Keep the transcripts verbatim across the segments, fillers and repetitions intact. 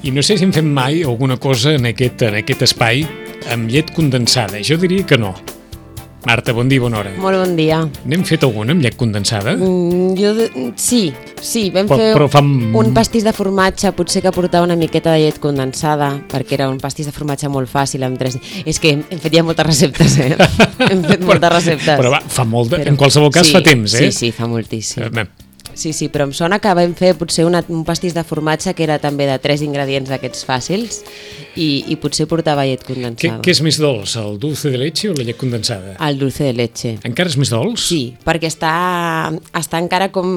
I no sé si hem fet mai alguna cosa en aquest, en aquest espai amb llet condensada. Jo diria que no. Marta, bon dia, bona hora. Molt bon dia. N'hem fet alguna amb llet condensada? Mm, jo, de... sí, sí, vam però, fer però fa... un pastís de formatge, potser que portava una miqueta de llet condensada, perquè era un pastís de formatge molt fàcil amb tres... És que hem, hem fet ja moltes receptes, eh? hem fet moltes però, receptes. Però va, fa molt de... Però... En qualsevol cas sí, fa temps, eh? Sí, sí, fa moltíssim. Eh, Sí, sí, però em sona que vam fer potser una, un pastís de formatge que era també de tres ingredients d'aquests fàcils i, i potser portava llet condensada. Què, què és més dolç, el dulce de leche o la llet condensada? El dulce de leche. Encara és més dolç? Sí, perquè està, està encara com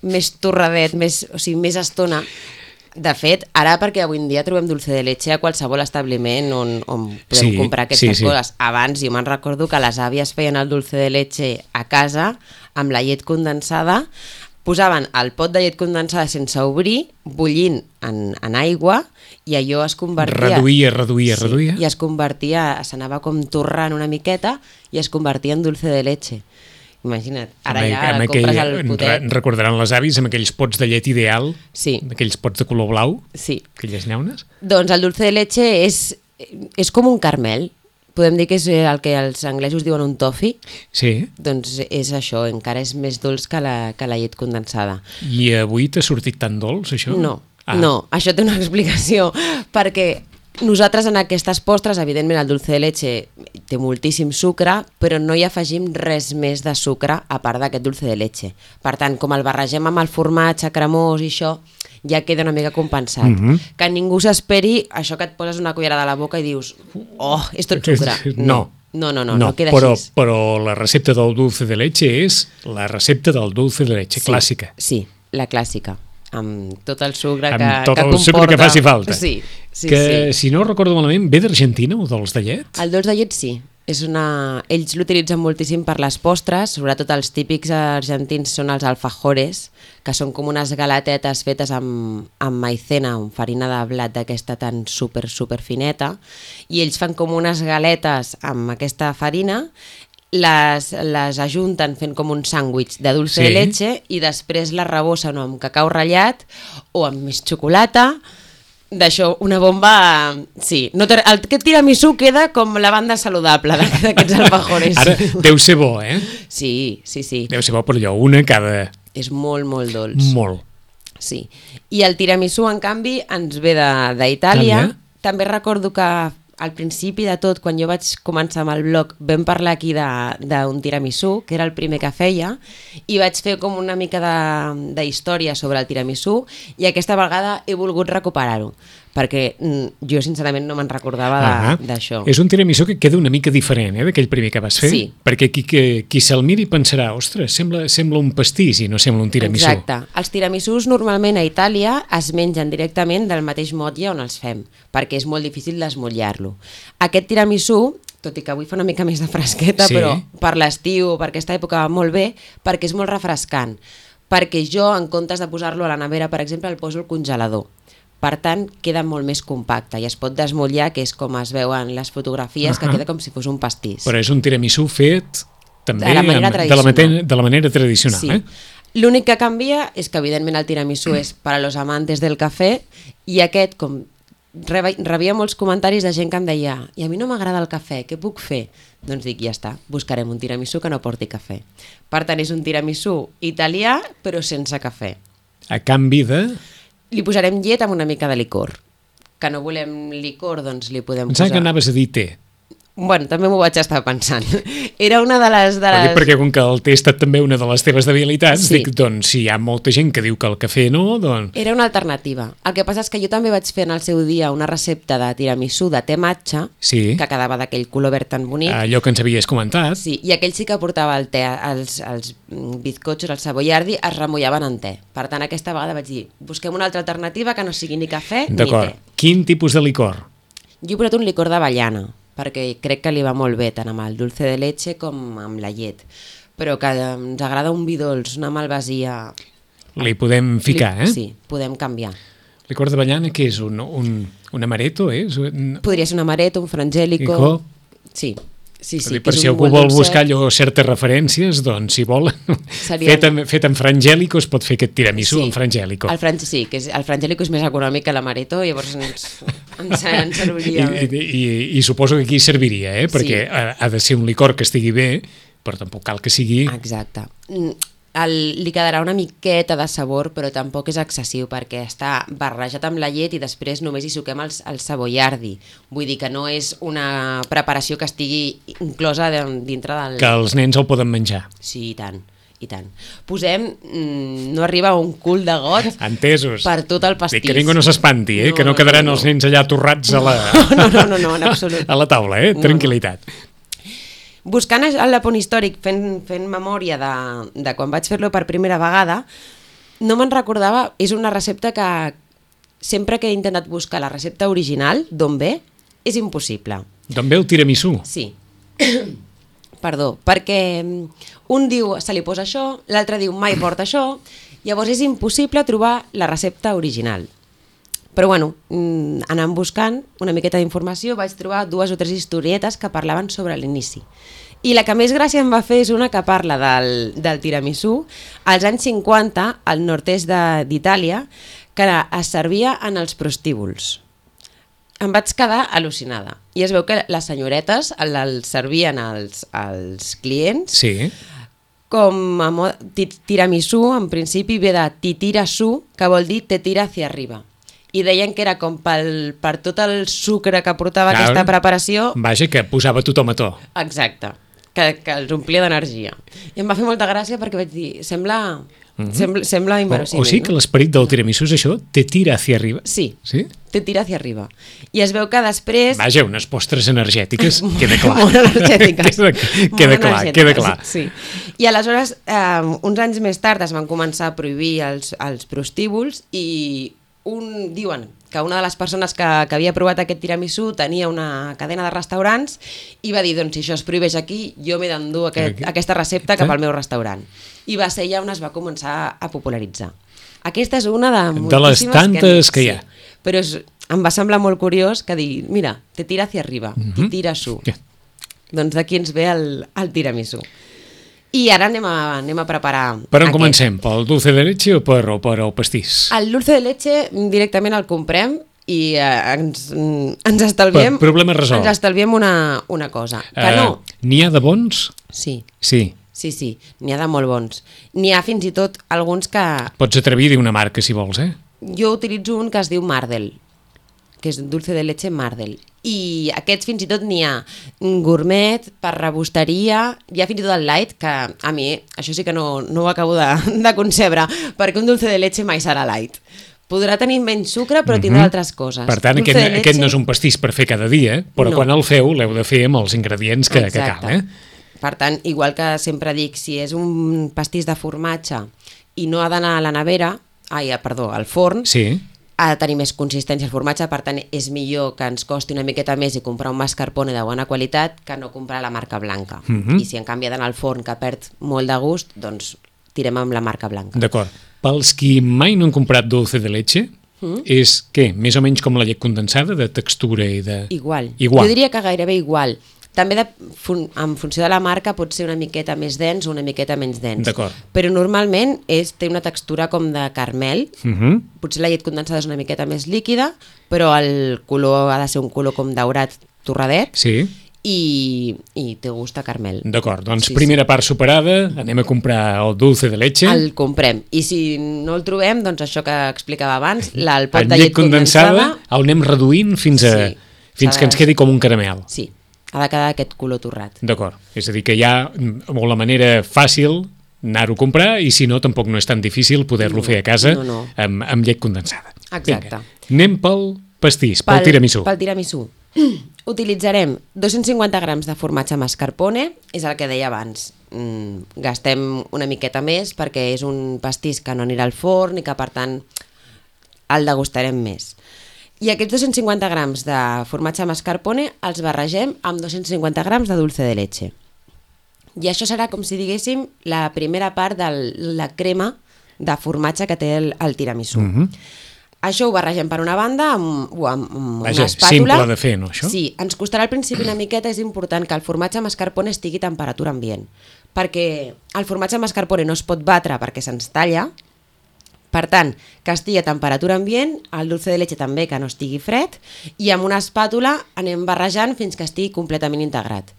més torradet, més, o sigui, més estona. De fet, ara perquè avui en dia trobem dulce de leche a qualsevol establiment on, on podem sí, comprar aquestes sí, sí. coses. Abans jo me'n recordo que les àvies feien el dulce de leche a casa amb la llet condensada, posaven el pot de llet condensada sense obrir, bullint en, en aigua, i allò es convertia... Reduïa, reduïa, sí, reduïa. I es convertia, s'anava com torrant una miqueta i es convertia en dulce de leche. Imagina't, ara amb, ja amb compres aquell, el potet. Recordaran les avis amb aquells pots de llet ideal, sí. aquells pots de color blau, sí. aquelles llaunes. Doncs el dulce de leche és, és com un caramel. Podem dir que és el que els anglesos diuen un toffee. Sí. Doncs és això, encara és més dolç que la, que la llet condensada. I avui t'ha sortit tan dolç, això? No, ah. no, això té una explicació, perquè nosaltres en aquestes postres, evidentment el dulce de leche té moltíssim sucre, però no hi afegim res més de sucre a part d'aquest dulce de leche. Per tant, com el barregem amb el formatge cremós i això, ja queda una mica compensat. Mm-hmm. Que ningú s'esperi això que et poses una cullerada a la boca i dius, oh, és tot sucre. No. No, no, no, no, no no queda però, així. Però la recepta del dulce de leche és la recepta del dulce de leche, sí, clàssica. Sí, la clàssica, amb tot el sucre amb que, tot que el comporta. sucre que faci falta. Sí, sí, que, sí. si no recordo malament, ve d'Argentina, o dolç de llet? El dolç de llet sí. És una... Ells l'utilitzen moltíssim per les postres, sobretot els típics argentins són els alfajores, que són com unes galatetes fetes amb, amb maicena, amb farina de blat d'aquesta tan super, super fineta, i ells fan com unes galetes amb aquesta farina, les, les ajunten fent com un sàndwich de dulce sí. de leche i després les rebossen amb cacau ratllat o amb més xocolata. D'això, una bomba... Sí, no el, aquest tiramisú queda com la banda saludable d'aquests alfajores. Ara, deu ser bo, eh? Sí, sí, sí. Deu ser bo, però allò, una cada... És molt, molt dolç. Molt. Sí. I el tiramisú, en canvi, ens ve d'Itàlia. També recordo que al principi de tot, quan jo vaig començar amb el blog, vam parlar aquí d'un tiramisú, que era el primer que feia, i vaig fer com una mica de, de història sobre el tiramisú, i aquesta vegada he volgut recuperar-ho, perquè jo sincerament no me'n recordava d'això. És un tiramisú que queda una mica diferent eh, d'aquell primer que vas fer, sí. perquè qui, qui, qui se'l miri pensarà, ostres, sembla, sembla un pastís i no sembla un tiramisú. Exacte. Els tiramisús normalment a Itàlia es mengen directament del mateix motlle on els fem, perquè és molt difícil desmotllar-lo. Aquest tiramisú, tot i que avui fa una mica més de fresqueta, sí. però per l'estiu o per aquesta època va molt bé, perquè és molt refrescant, perquè jo en comptes de posar-lo a la nevera, per exemple, el poso al congelador. Per tant, queda molt més compacte i es pot desmotllar, que és com es veuen les fotografies, uh-huh. que queda com si fos un pastís. Però és un tiramisú fet també de la manera tradicional. De la, matena, de la manera tradicional. Sí. Eh? L'únic que canvia és que, evidentment, el tiramisú és per a los amantes del cafè i aquest, com rebia molts comentaris de gent que em deia i a mi no m'agrada el cafè, què puc fer? Doncs dic, ja està, buscarem un tiramisú que no porti cafè. Per tant, és un tiramisú italià, però sense cafè. A canvi de... Li posarem llet amb una mica de licor. Que no volem licor, doncs li podem Pensava posar... que anaves a dir té. Bueno, també m'ho vaig estar pensant. Era una de les... De les... Perquè com que el té ha estat també una de les teves debilitats, sí. dic, doncs, si hi ha molta gent que diu que el cafè no, doncs... Era una alternativa. El que passa és que jo també vaig fer en el seu dia una recepta de tiramisú de té matxa, sí. que quedava d'aquell color verd tan bonic. Allò que ens havies comentat. Sí, i aquell sí que portava el té, els, els bizcochos, el savoiardi, es remullaven en té. Per tant, aquesta vegada vaig dir, busquem una altra alternativa que no sigui ni cafè ni té. D'acord. Quin tipus de licor? Jo he posat un licor d'avellana, perquè crec que li va molt bé tant amb el dulce de leche com amb la llet, però que ens agrada un vi dolç, una malvasia... Li podem ficar, li... eh? Sí, podem canviar. Licor d'avellana, què és? Un, un, un amaretto, eh? Podria ser un amaretto, un frangélico... Ico? Sí, Sí, sí, dir, per és si un algú molt vol dolcet. buscar allò certes referències, doncs si vol, Seria- fet, amb, fet amb frangèlico es pot fer aquest tiramisú Sí, amb frangèlico. El fran... Sí, que és, el frangèlico és més econòmic que l'amaretto, llavors ens, ens, ens I, serviria i, bé. i, I suposo que aquí serviria, eh? Perquè Sí. ha, ha de ser un licor que estigui bé, però tampoc cal que sigui... Exacte. Mm, El, li quedarà una miqueta de sabor, però tampoc és excessiu perquè està barrejat amb la llet i després només hi suquem el, el cebollardi. Vull dir que no és una preparació que estigui inclosa de, dintre del... Que els nens el poden menjar. Sí, i tant, i tant. Posem, mm, no arriba a un cul de got Entesos. per tot el pastís. Dic que ningú no s'espanti, eh? No, que no no, quedaran no, no. els nens allà torrats a la, No, no, no, no, en absolut. a la taula, eh? No, Tranquil·litat. Buscant el Lapón històric, fent, fent memòria de, de quan vaig fer-lo per primera vegada, no me'n recordava, és una recepta que sempre que he intentat buscar la recepta original, d'on ve, és impossible. D'on ve el tiramisú? Sí. Perdó, perquè un diu se li posa això, l'altre diu mai porta això, llavors és impossible trobar la recepta original. Però bueno, anant buscant una miqueta d'informació vaig trobar dues o tres historietes que parlaven sobre l'inici. I la que més gràcia em va fer és una que parla del, del tiramisú als anys cinquanta al nord-est d'Itàlia, que es servia en els prostíbuls. Em vaig quedar al·lucinada. I es veu que les senyoretes el, el servien als, als clients Sí. com a mod, tiramisú, en principi ve de titirasú, que vol dir te tira hacia arriba. I deien que era com pel, per tot el sucre que portava Clar. aquesta preparació. Vaja, que posava tothom a to. Exacte, que, que els omplia d'energia. I em va fer molta gràcia perquè vaig dir, sembla, mm-hmm. sembla, sembla O, inverossímil. o sigui que no? l'esperit del tiramisú és això? Te tira hacia arriba? Sí, Sí? te tira hacia arriba. I es veu que després... Vaja, unes postres energètiques, queda clar. Molt energètiques. queda queda Molt clar, energètiques, queda clar. Sí. I aleshores, eh, uns anys més tard es van començar a prohibir els, els prostíbuls i un, diuen que una de les persones que, que havia provat aquest tiramisú tenia una cadena de restaurants i va dir, doncs si això es prohibeix aquí, jo m'he d'endur aquest, aquesta recepta cap al meu restaurant. I va ser ja on es va començar a popularitzar. Aquesta és una de moltíssimes De les tantes que, que hi ha. Sí, però és, em va semblar molt curiós que dir, mira, te tira hacia arriba, Mhm. te tira su. Ja. Doncs d'aquí ens ve el, el tiramisú. I ara anem a, anem a preparar Per on aquest. comencem? Pel dulce de leche o per, o per el pastís? El dulce de leche directament el comprem i eh, ens, ens estalviem... Per- problema resolt. Ens estalviem una, una cosa. Que Eh, no... N'hi ha de bons? Sí, Sí. sí, sí. N'hi ha de molt bons. N'hi ha fins i tot alguns que... Pots atrevir a dir una marca, si vols, eh? Jo utilitzo un que es diu Mardel, que és dulce de leche Mardel. I aquests fins i tot n'hi ha gourmet, per rebosteria, hi ha fins i tot el light, que a mi això sí que no, no ho acabo de, de concebre, perquè un dulce de leche mai serà light. Podrà tenir menys sucre, però tindrà Mhm. altres coses. Per tant, Dulce aquest, de leche- aquest no és un pastís per fer cada dia, però No. quan el feu l'heu de fer amb els ingredients que, que Exacte. cal, eh? Per tant, igual que sempre dic, si és un pastís de formatge i no ha d'anar a la nevera, ai, perdó, al forn, Sí. ha de tenir més consistència el formatge, per tant és millor que ens costi una miqueta més i comprar un mascarpone de bona qualitat que no comprar la marca blanca. Mhm. I si en canvi ha d'anar al forn que perd molt de gust, doncs tirem amb la marca blanca. D'acord. Pels qui mai no han comprat dulce de leche, Mm. és, què, més o menys com la llet condensada, de textura i de... Igual. Igual. Jo diria que gairebé igual. També de, fun, en funció de la marca pot ser una miqueta més dens o una miqueta menys dens. D'acord. Però normalment és, té una textura com de caramel. Mhm. Potser la llet condensada és una miqueta més líquida, però el color ha de ser un color com daurat torradet Sí, i, i té gust a caramel. d'acord. Doncs Sí, primera part superada, anem a comprar el dulce de leche. El comprem. I si no el trobem, doncs això que explicava abans, la, el pot En de llet condensada... el anem reduint fins, a, Sí, fins s'ha que de- ens quedi com un caramel. Sí, ha de quedar aquest color torrat. D'acord. És a dir, que hi ha mm, la manera fàcil anar-ho a comprar i si no, tampoc no és tan difícil poder-lo No, fer a casa no, no. Amb, amb llet condensada. Exacte. Vinga, anem pel pastís, pel, tiramisú. Pel tiramisú. Utilitzarem dos-cents cinquanta grams de formatge mascarpone, és el que deia abans. Mm, gastem una miqueta més perquè és un pastís que no anirà al forn i que per tant el degustarem més. I aquests dos-cents cinquanta grams de formatge mascarpone els barregem amb dos-cents cinquanta grams de dulce de leche. I això serà com si diguéssim la primera part de la crema de formatge que té el, el tiramisú. Mhm. Això ho barregem per una banda amb, amb, amb Vaja, una espàtula. simple de fer, no, això? Sí, ens costarà al principi una miqueta, és important que el formatge mascarpone estigui a temperatura ambient, perquè el formatge mascarpone no es pot batre perquè se'ns talla. Per tant, que estigui a temperatura ambient, el dulce de leche també que no estigui fred, i amb una espàtula anem barrejant fins que estigui completament integrat.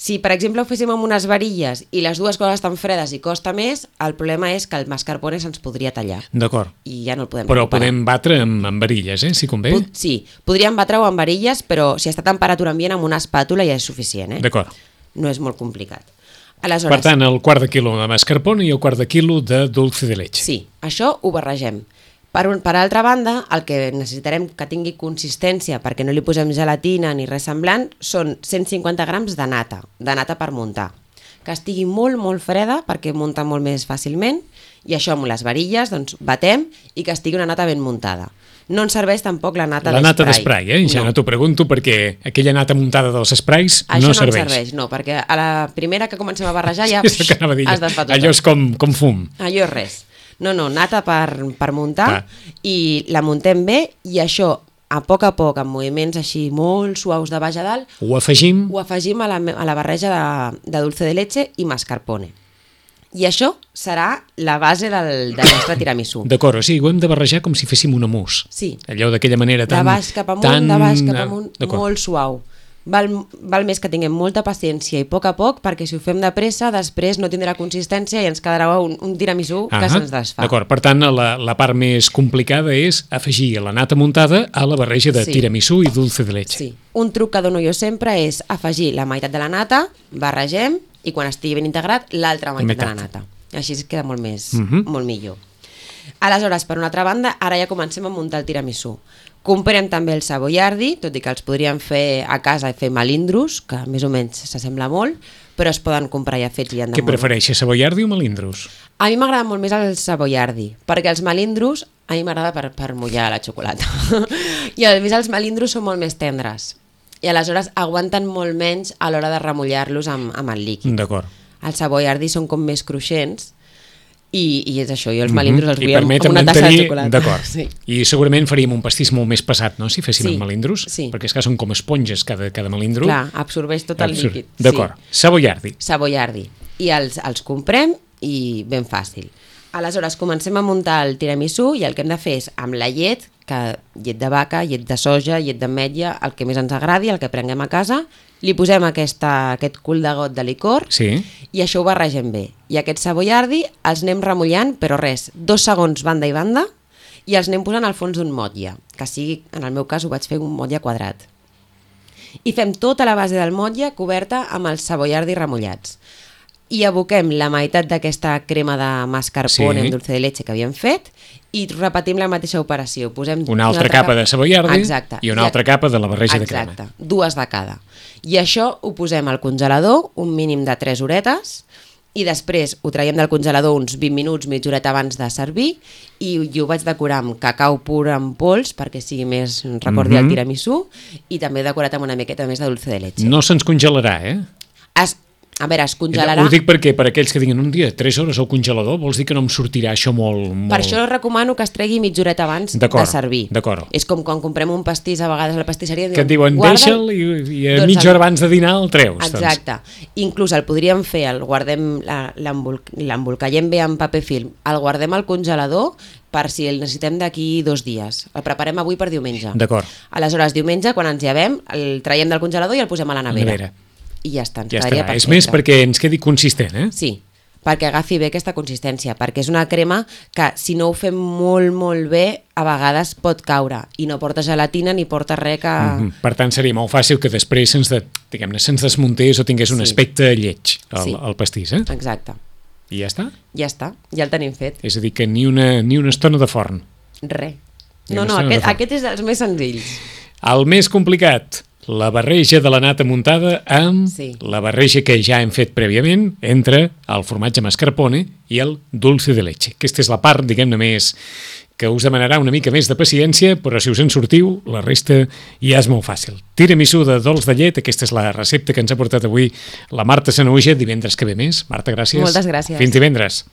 Si, per exemple, ho féssim amb unes varilles i les dues coses estan fredes i costa més, el problema és que el mascarpone se'ns podria tallar. D'acord. I ja no el podem Però recuperar. podem batre amb, amb varilles, eh, si convé. Pot, sí, podríem batre-ho amb varilles, però si està a temperatura ambient amb una espàtula ja és suficient. Eh? D'acord. No és molt complicat. Aleshores, Per tant, el quart de quilo de mascarpone i el quart de quilo de dulce de leche. sí, això ho barregem. Per, un, per altra banda, el que necessitarem que tingui consistència, perquè no li posem gelatina ni res semblant, són cent cinquanta grams de nata, de nata per muntar. Que estigui molt, molt freda, perquè munta molt més fàcilment, i això amb les varilles, doncs, batem i que estigui una nata ben muntada. No ens serveix tampoc la nata La d'esprai. nata d'esprai, eh? Ja no, no t'ho pregunto perquè aquella nata muntada dels esprais Això no no serveix. ens serveix, no, perquè a la primera que comencem a barrejar ja És el que anava a dir. has desfat tot. Allò és com, com fum. Allò és res. No, no, nata per, per muntar. Clar. I la muntem bé i això, a poc a poc, amb moviments així molt suaus de baix a dalt, Ho afegim. ho afegim a la, a la barreja de, de dulce de leche i mascarpone. I això serà la base del, del nostre tiramisú. D'acord, o sigui, ho hem de barrejar com si féssim una mousse. Sí. Allò d'aquella manera tan... De baix cap amunt, tan... de baix cap amunt, D'acord. molt suau. Val, val més que tinguem molta paciència i a poc a poc, perquè si ho fem de pressa, després no tindrà consistència i ens quedarà un, un tiramisú que Ahà, se'ns desfà. D'acord, per tant, la, la part més complicada és afegir la nata muntada a la barreja de Sí. tiramisú i dulce de leche. Sí. Un truc que dono jo sempre és afegir la meitat de la nata, barregem, i quan estigui ben integrat, l'altra meitat, Meitat. de la nata. Així es queda molt més, Mhm. molt millor. Aleshores, per una altra banda, ara ja comencem a muntar el tiramisú. Comprem també el savoiardi, tot i que els podríem fer a casa i fer melindros, que més o menys s'assembla molt, però es poden comprar ja fets i han de Què molt. prefereixes, savoiardi o melindros? A mi m'agrada molt més el savoiardi, perquè els melindros a mi m'agrada per, per mullar la xocolata. I a més els melindros són molt més tendres. I aleshores aguanten molt menys a l'hora de remullar-los amb, amb el líquid. D'acord. Els savoiardi són com més cruixents i, i és això, jo els melindros els I vull amb, permet amb una tassa de mantenir- xocolata. D'acord. Sí. I segurament faríem un pastís molt més pesat, no?, si féssim Sí, amb melindros, sí. perquè és que són com esponges cada, cada melindro. Clar, absorbeix tot el Absur- líquid. D'acord. Sí. Savoiardi. Savoiardi. I els, els comprem i ben fàcil. Aleshores, comencem a muntar el tiramisú i el que hem de fer és amb la llet, que llet de vaca, llet de soja, llet d'ametlla, el que més ens agradi, el que prenguem a casa, li posem aquesta, aquest cul de got de licor Sí. i això ho barregem bé. I aquest savoiardi els anem remullant, però res, dos segons banda i banda, i els anem posant al fons d'un motlle, que sigui, en el meu cas ho vaig fer un motlle quadrat. I fem tota la base del motlle coberta amb els savoiardi remullats. I aboquem la meitat d'aquesta crema de mascarpone Sí. amb dulce de leche que havíem fet i repetim la mateixa operació. Posem Una altra capa de savoiardi Exacte. i una I a- altra capa de la barreja de crema. Exacte, dues de cada. I això ho posem al congelador un mínim de tres horetes i després ho traiem del congelador uns vint minuts, mitja horeta abans de servir i, i ho vaig decorar amb cacau pur en pols perquè sigui més, recordi Mhm. el tiramisú, i també decorat amb una miqueta més de dulce de leche. No se'ns congelarà, eh? Es, a veure, es congelarà... Ho dic perquè per aquells que diguin un dia, tres hores al congelador, vols dir que no em sortirà això molt... molt... Per això recomano que es tregui mitja horeta abans de D'acord, servir. d'acord. És com quan comprem un pastís a vegades a la pastisseria. Que et diuen, deixa'l i, i a Doncs mitja el- hora abans de dinar el treus. Exacte. Inclús el podríem fer, el guardem, la- l'embol- l'embolcallem bé amb paper film, el guardem al congelador per si el necessitem d'aquí dos dies. El preparem avui per diumenge. Doncs, d'acord. Aleshores, diumenge, quan ens llevem, el traiem del congelador i el posem a la nevera. Nevera. I ja està, ens Ja quedaria estarà. És perfecte. més perquè ens quedi consistent, eh? Sí, perquè agafi bé aquesta consistència, perquè és una crema que si no ho fem molt, molt bé, a vegades pot caure i no porta gelatina ni porta res que... Mhm. Per tant, seria molt fàcil que després se'ns de, diguem-ne, se'ns desmuntés o tingués un Sí. aspecte lleig, el, Sí. el pastís, eh? Exacte. I ja està. Ja està, ja el tenim fet. És a dir, que ni una, ni una estona de forn. Res. Ni No, una no, estona de aquest, forn. aquest és dels més senzills. El més complicat, la barreja de la nata muntada amb Sí. la barreja que ja hem fet prèviament entre el formatge mascarpone i el dulce de leche. Aquesta és la part, diguem-ne, més que us demanarà una mica més de paciència, però si us en sortiu, la resta ja és molt fàcil. Tiramisú de dolç de llet, aquesta és la recepta que ens ha portat avui la Marta Sanahuja, divendres que ve més. Marta, gràcies. Moltes gràcies. Fins divendres.